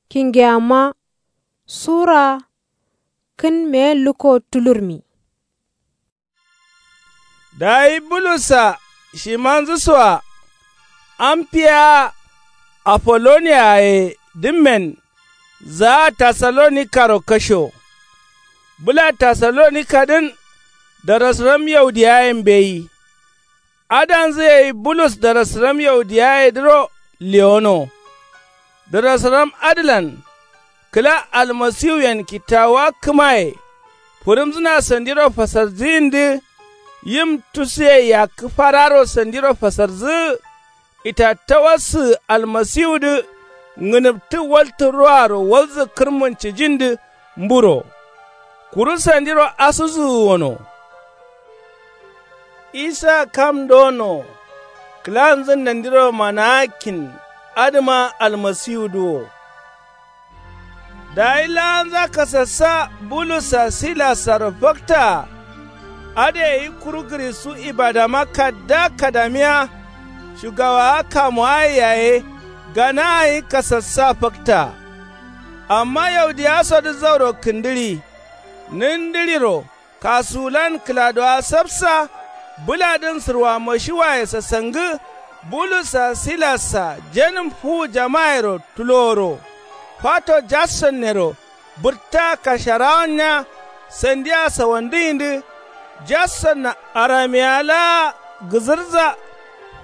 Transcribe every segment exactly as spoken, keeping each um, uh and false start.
Kingeyamma sura kǝn meyen lukko tulurmi. Dayi bulussa shimanzǝsoa amfiya afolloniyaye dǝmmen zaa tassalonikaro kasho. Bǝla tassalonikadǝn darasram yaudiyaye mbeyi. Adanzǝ gai bulus darasram yaudiyayedǝro lewono. Darasram adǝlan kǝla almasiwuyen kittawuwa kǝmaye fǝrǝmzǝna sandiro fasarzǝyindǝ. Yim tusuye yakkǝ fararo sandiro fasarzǝ. Itattawassǝ almasiwudǝ ngǝnǝbtǝ waltǝ roaro walzǝ kǝrmun cijindǝ mburo. Kuru sandiro asǝzǝ wono. Isa kam dono kǝlanzǝn nandiro manaa kin adǝma almasiwudǝ wo. Dayi laanza kasassa bulussa silassaro faktaa. Adǝ gai kuru gǝrisu ibadama kadda kadamiya shugawaa kamuwaye yaye ganaa gǝnyi kasassa faktaa. Amma yaudiyasodǝ zauro kǝndǝɍi nǝndǝɍiro kasuwulan kǝladowa sapsa. Bǝladǝn sǝrwa mashiwaye sasangǝ bulussa silassa jenǝm fuwu jamayero tuloworo fato jassonnero bǝrtta kasharawannya. Sandiya sawandǝyindǝ jassonna aramiya laa gǝzǝrza.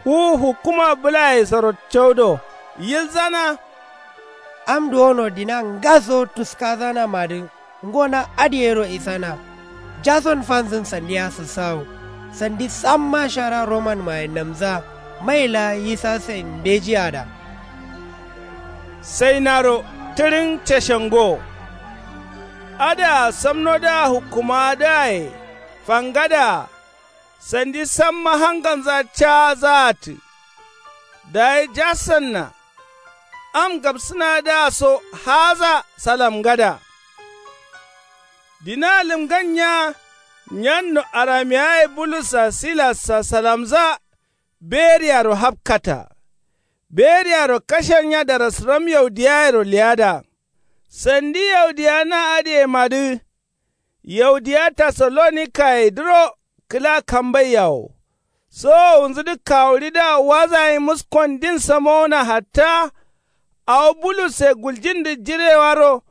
Fuwu hukkuma bǝlayesoro caudo yilzana. Am duwono dina ngaso tuskazanamadǝ ngo na adǝ gairo isana. Jason fanzǝn sandiya sǝssawo sandi samma shara romanmaye namza. Mai laa yisasen mbeji ada. Sainaro tǝɍin cashengo. Adǝa samnodǝa hukkumawadǝaye fangadǝa sandi samma hanganza caazaatǝ. Dayi jasonna am gabsǝnadǝa so haaza salamgada. Dina lǝmgan nya nyanno aramiyaye bulussa silassa salamza. Beriyaro hapkata. Beriyaro kashen nya darasǝram yaudiyayero leyada. Sandi yaudiya na adǝyemadǝ yaudiya tassalonikayedǝro kǝla kambaiya wo. Sowowunzudǝ kawuɍidǝa waza gǝnyi muskondin samowona hatta. Awo bulusse guljindǝ jirewaro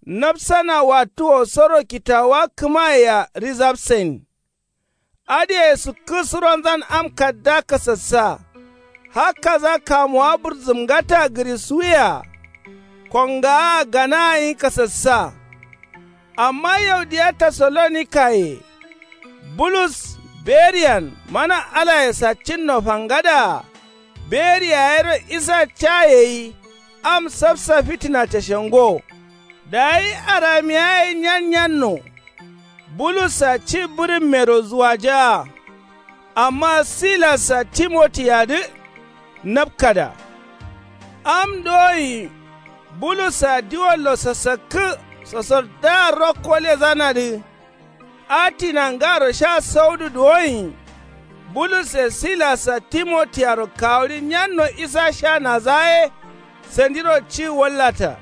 napsana wattuwosoro kittawuwa kǝmayea rizabsain. Adǝye sukkǝ suronzan am kadda kasassa. Hakkaza kamuwa bǝrzǝmgata gǝrisuwuyea kongaa ganaa gǝnyi kasassa. Amma yaudiya tassalonikayeye bulus beriyan mana alaye saccinno fangadǝa. Beri yayero isa ca yeyi am sapsa fitina cashengo. Dayi aramiyaye nyan nyanno bulussa ci bǝrǝmmero zuwajaa. Amma silassa timotiyadǝ napkada. Am dowoin bulussa diwollo sasakkǝ sosordǝa rokko lezanadǝ. Atina ngaro sha saudǝ duwoin bulusse silassa timotiyaro kawuɍi nyanno isa sha nazaye. Sandiro ci wallata.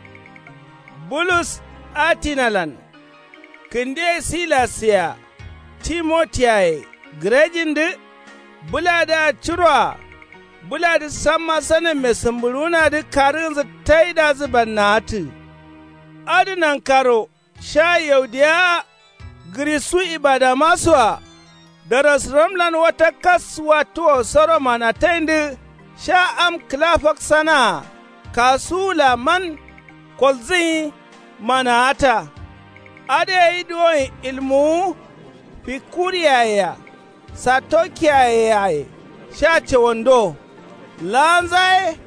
Bulus atinalan kǝnde silassea timotiyaye gǝrejindǝ. Bǝladǝa curoa bǝladǝ samma sanamme sǝmbǝɍuwunadǝ karǝgǝnzǝ taidazǝ bannaatǝ. Adǝ nankaro sha yaudiya gǝrisu ibadamasoa darasǝramlan wata kas wattuwosoro manataindǝ. Sha am kǝla faksanaa kasuwula man kolzǝgǝnyi manaata. Adǝ gai duwoin ilmuwu fikuriyayea satokiyayeyaye sha cawando. Laanza ye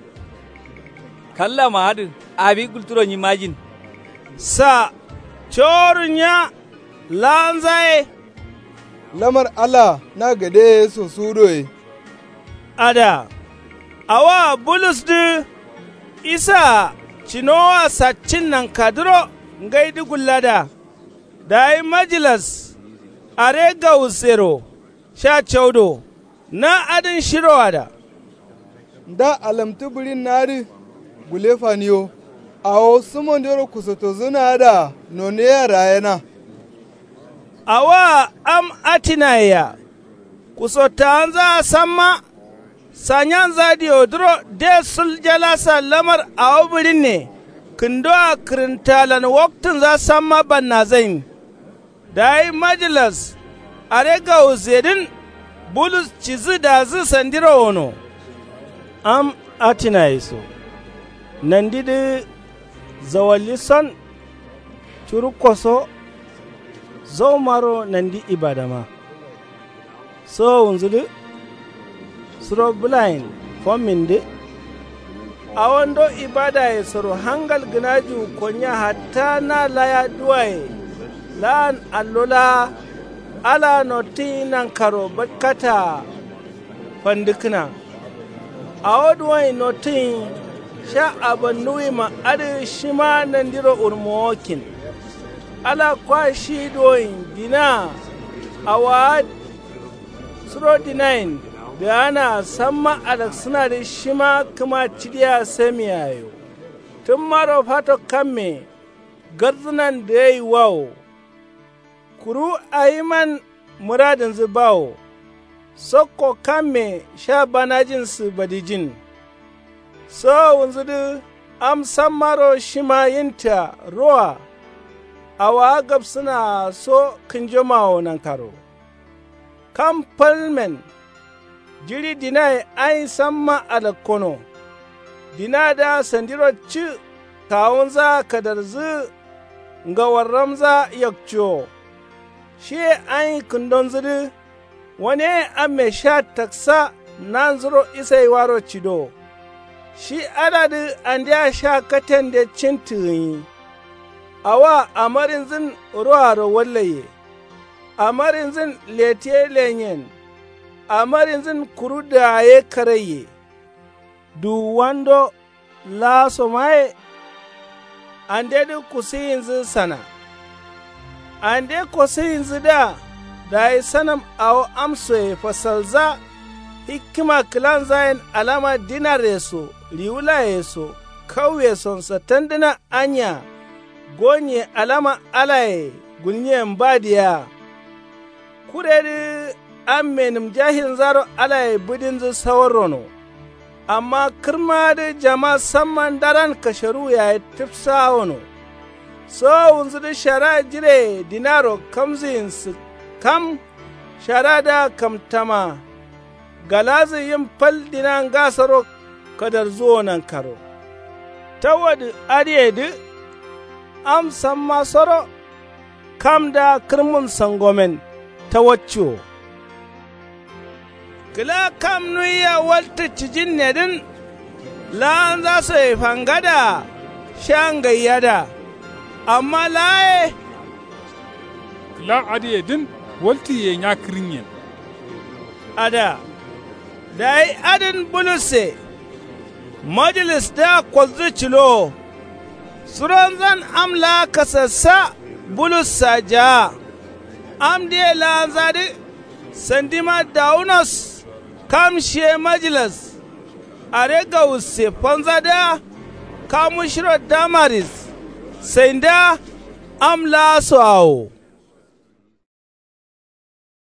kallama adǝ abi gulturo nyimajin. Sa coworo nya laanza ye lamar allah na gadeye so suwudo ye. Ada awoa bulusdǝ isaa cinowoa saccin nankadǝro ngaidǝ gullada. Dayi majilas aregawusero sha caudo na adǝn shiroada. Nda alamtǝ bǝɍin nadǝ gule faniyo. Awo sumondero kusottozǝna adǝa noneyea rayena. Awoa am atinaye-a kusottawanzaa samma. Sanyanza diodǝro de sul jalasa lamar awo bǝɍinne kǝndoa kǝrǝntalan waktǝnza samma bannazain. Dayi majilas aregawussedǝn bulus cidǝ dazǝ sandiro wono. Am atinaye so nandidǝ zawalli son. Curukko so zaumaro nandi ibadama. Sowowunzudǝ suro bǝlayen fommindǝ. Awo ndo ibadayesoro hangal gǝnajiwu konnya hatta na laya duwaye laan allo laa. Alaa nottǝnyi nankaro batkataa fandǝkkǝna. Awo duwonyi nottǝnyi sha abannuwima adǝ shima nandiro wurmowokkin. Ala kwa shi duwonyi dinaa awaa suro dinayen dǝganaa samma alaksǝnadǝ shima kǝma cidiya samiyayo. Tǝmmaro fato kamme gardzǝnan dǝgaiwawo. Kuru awiman mǝradǝnzǝ bawo. Sokko kamme sha banajinsǝ badijin. Sowowunzudǝ am sammaro shima yinta roa. Awaa gabsǝnaa so kǝnjomawo nankaro. Kam palmen jiɍi dinaye ayin samma alakkono. Dinadǝa sandiro ci kawunzaa kadarzǝ ngawarramza yakciwo. Shiye ayin kǝndonzudǝ waneyen amme sha taksa nanzuro isaiwaro cido. Shi adadǝ andea sha katende cintǝ gǝnyi. Awoa amarinzǝn roaro wallaiye. Amarinzǝn letiye lenyen. Amarinzǝn kuru dǝgaye karaiye. Duwuwando laaso maye. Andedǝ kusuyinzǝ sana. Ande kosuyinzǝdǝa dayi sanam awo amsoye fasalza. Hikkima kǝlanzayen alama dinarye so riwulaye so kauye son sattandǝna anya. Gonye alama alaye gulnyen ba diya. Kuredǝ amme nǝmjahilnzaro alaye bǝdinzǝ sawarrono. Amma kǝrmadǝ jama samma ndaran kasharuwu yaye tǝfsawono. Sowowunzudǝ shara jireye dinaro kamzǝyin sǝkkam. Sharadǝa kamtama. Galazǝ yim fal dina ngasoro kadarzuwo nankaro. Tawadǝ adǝyedǝ am samma soro. Kamdǝa kǝrmun sangomen tawacciwo. Kǝla kam nuwiya waltǝ cijinnedǝn. Laanza soye fangadǝa sha ngaiyadǝa. Amma laa ye. Kǝla adǝyedǝn waltǝye nya kǝrǝnyen. Adǝa. Dayi adǝn bulusse. Majilisdǝa koldǝ cilowo. Suronzan am laa kasassa bulussa jaa. Amdǝye laanzadǝ sandima dawunos. Kam shiye majilas. Aregawusse fanzadǝa kamu shiro damaris. Saindǝa am laaso awo.